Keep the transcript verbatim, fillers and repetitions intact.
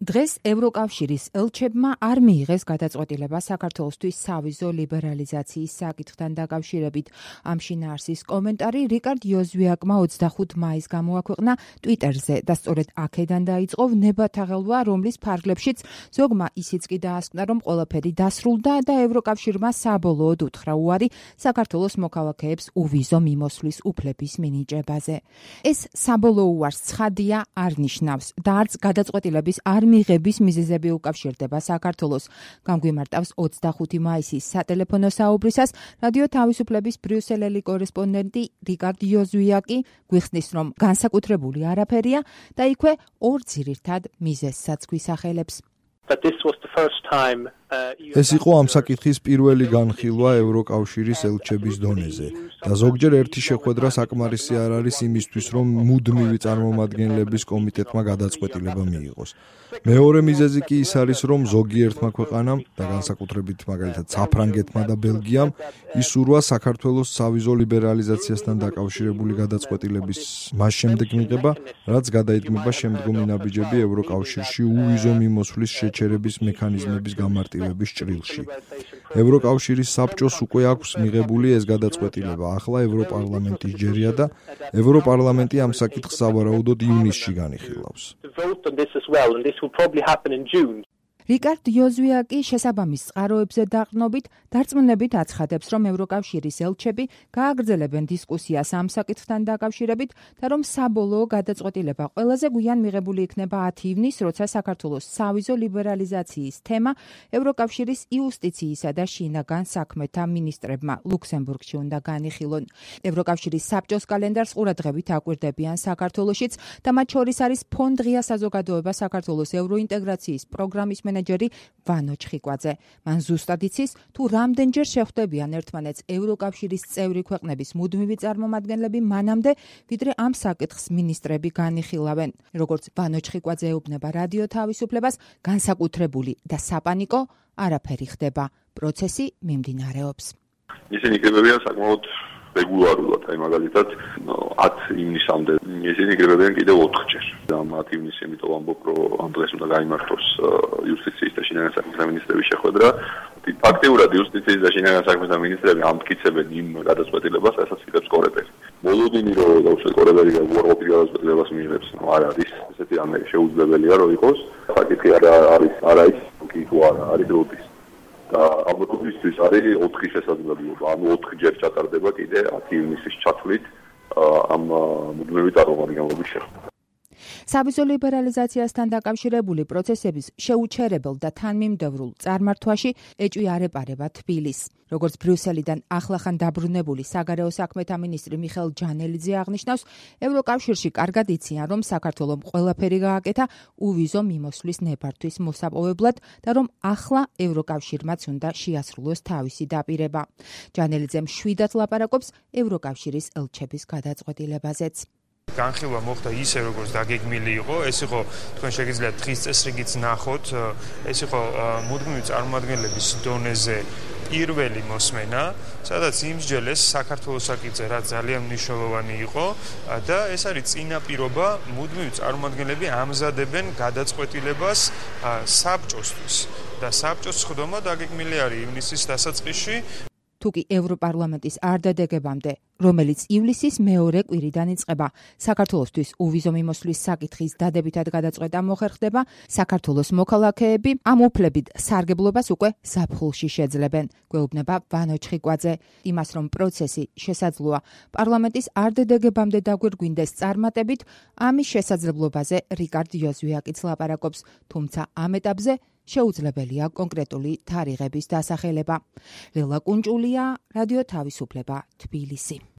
დღეს ევროკავშირის ელჩებმა არ მიიღეს გადაწყვეტილება საქართველოსთვის სავიზო ლიბერალიზაციის საკითხთან დაკავშირებით. ამ შინაარსის კომენტარი რიკარდ იოზვიაკმა ოცდახუთი მაისს გამოაქვეყნა ტვიტერზე და სწორედ აქედან დაიწყო ვნებათაღელვა, რომლის ფარგლებშიც ზოგმა ისიც კი დაასკვნა, რომ ყველაფერი დასრულდა და ევროკავშირმა საბოლოოდ უთხრა უარი საქართველოს მოქალაქეებს უვიზო მიმოსვლის უფლების მინიჭებაზე. ეს საბოლოო უარს ცხადია არ ნიშნავს და არც გადაწყვეტილების არ მიღების მიზეზები უკავშირდება საქართველოს. გამგვიმარტავს ოცდახუთი მაისის სატელეფონო საუბრისას რადიო თავისუფლების ბრიუსელელი კორესპონდენტი რიკარდ იოზვიაკი გვიხსნის, რომ განსაკუთრებული არაფერია და იქვე ორ ძირითად მიზეზსაც გვისახელებს. ეს იყო ამ საკითხის პირველი განხილვა ევროკავშირის ელჩების დონეზე და ზოგჯერ ერთი შეხვედრა საკმარისი არ არის იმისთვის, რომ მუდმივი წარმომადგენლების კომიტეტმა გადაწყვეტილება მიიღოს. მეორე მიზეზი კი ის არის, რომ ზოგიერთმა ქვეყანამ და განსაკუთრებით მაგალითად საფრანგეთმა და ბელგიამ ისურვა საქართველოს სავიზო ლიბერალიზაციასთან დაკავშირებული გადაწყვეტილების მას შემდეგ მიღება, რაც გადაიდგმება შემდგომი ნაბიჯები ევროკავშირში უვიზო მიმოსვლის შეჩერების მექანიზმების გამარტივების ჭრილში. ევროკავშირის საბჭოს უკვე აქვს მიღებული ეს გადაწყვეტილება, ახლა ევროპარლამენტის ჯერია და ევროპარლამენტი ამ საკითხს სავარაუდოდ ივნისში განიხილავს. რიკარდ იოზვიაკი შესაბამის წყაროებზე დაყრდნობით დარწმუნებით აცხადებს, რომ ევროკავშირის ელჩები გააგრძელებენ დისკუსიას ამ საკითხთან დაკავშირებით და რომ საბოლოო გადაწყვეტილება ყველაზე გვიან მიღებული იქნება ათი ივნისს, როცა საქართველოს სავიზო ლიბერალიზაციის თემა ევროკავშირის იუსტიციისა და შინაგან საქმეთა მინისტრებმა ლუქსემბურგში უნდა განიხილონ. ევროკავშირის საბჭოს კალენდარს ყურადღებით აკვირდებიან საქართველოშიც და მათ შორის არის ფონ დღია საზოგადოება საქართველოს ევროინტეგრაციის პროგრამის მენეჯერი ვანო ჩხიკვაძე. მან ზუსტად იცის, თუ რამდენჯერ შეხვდებიან ერთმანეთს ევროკავშირის წევრი ქვეყნების მუდმივი წარმომადგენლები მანამდე, ვიდრე ამ საკითხს მინისტრები განიხილავენ. როგორც ვანო ჩხიკვაძე ეუბნება რადიო თავისუფლებას, განსაკუთრებული და საპანიკო არაფერი ხდება. პროცესი მიმდინარეობს. ისინი იკრიბებიან საკმაოდ რეგულარულად, აი მაგალითად ათი ივნისამდე ისინი იკრიბებიან კიდევ ოთხჯერ. ამ ათი ივნისს იმიტომ ვამბობ, რომ ამ დღეს უნდა გაიმართოს იუსტიციის და შინაგან საქმეთა მინისტრების შეხვედრა. ფაქტიურად იუსტიციის და შინაგან საქმეთა მინისტრები ამტკიცებენ იმ გადაწყვეტილებას, რასაც იღებს კორეპერი. მოლოდინი რომ დაუშვათ კორეპერი უარყოფით გადაწყვეტილებას მიიღებს, ნუ არ არის ესეთი რამე შეუძლებელია რომ იყოს. საკითხი არ არის არა ის კი თუ არა არის როდის. და ამ როდისთვის არის ოთხი შესაძლებლობა, ანუ ოთხჯერ ჩატარდება კიდე ათი ივნისის ჩათვლით ამ მუდმივი წარმომადგენლობის შეხვედრა. სავიზო ლიბერალიზაციასთან დაკავშირებული პროცესების შეუჩერებელ და თანმიმდევრულ წარმართვაში ეჭვი არ ეპარება თბილისს. როგორც ბრიუსელიდან ახლახან დაბრუნებული საგარეო საქმეთა მინისტრი მიხეილ ჯანელიძე აღნიშნავს, ევროკავშირში კარგად იციან, რომ საქართველომ ყველაფერი გააკეთა უვიზო მიმოსვლის ნებართვის მოსაპოვებლად და რომ ახლა ევროკავშირმაც უნდა შეასრულოს თავისი დაპირება. ჯანელიძე მშვიდად ლაპარაკობს ევროკავშირის ელჩების გადაწყვეტილებაზეც. განხილვა მოხდა ისე, როგორც დაგეგმილი იყო, ეს იყო თქვენ შეგიძლიათ დღის წესრიგიც ნახოთ, ეს იყო მუდმივი წარმომადგენლების დონეზე პირველი მოსმენა, სადაც იმსჯელეს საქართველოს საკითხზე, რაც ძალიან მნიშვნელოვანი იყო და ეს არის წინაპირობა, მუდმივი წარმომადგენლები ამზადებენ გადაწყვეტილებას საბჭოსთვის და საბჭოს სხდომა დაგეგმილი არის ივნისის დასაწყისში. თუკი ევროპარლამენტის არ დადებამდე, რომელიც ივლისის მეორე კვირიდან იწყება, საქართველოსთვის უვიზო მიმოსვლის საკითხის დადებითად გადაწყვეტა მოხერხდება, საქართველოს მოქალაქეები ამ უფლებით სარგებლობას უკვე ზაფხულში შეძლებენ. გვეუბნება ვანო ჩხიკვაძე. იმას, რომ პროცესი შესაძლოა პარლამენტის არ დადებამდე დაგვირგვინდეს წარმატებით, ამის შესაძლებლობაზე რიკარდ იოზვიაკიც ლაპარაკობს, თუმცა ამ ეტაპზე შეუძლებელია კონკრეტული თარიღების დასახელება. ლელა კუნჭულია, რადიო თავისუფლება, თბილისი.